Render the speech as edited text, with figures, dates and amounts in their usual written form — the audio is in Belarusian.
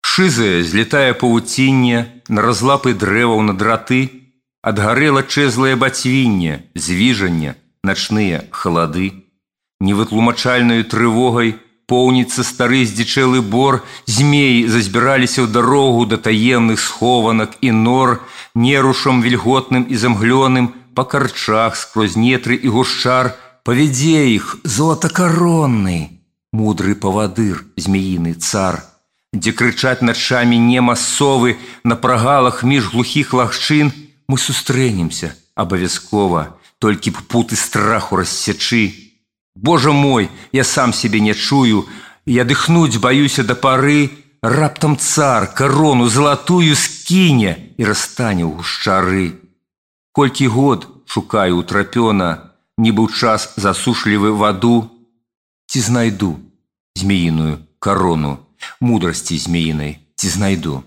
Шызае злетае павуцінне на разлапы дрэваў на драты, адгарэла чэзлае бацвінне, звіжання, начныя халады. Невытлумачальнаю трывогай поўніцца стары здзічэлы бор, змеі зазбіраліся ў дарогу да таемных схованак і нор, нерушам вільготным і замглёным, па карчах скрозь нетры і гушчар, павядзе іх золатакаронны, мудры павадыр, змеіны цар, дзе крычаць начамі нема совы, на прагалах між глухіх лагчын мы сустрэнемся абавязкова, толькі б путы страху рассячы. Божа мой, я сам себе не чую, я дыхнуць баюся да пары, раптам цар карону залатую скіне і расстане ў гушчары. Колькі год шукаю утрапёна, нібы ў час засушлівы ваду, ці знайду змеіную карону, мудрасці змеінай ці знайду.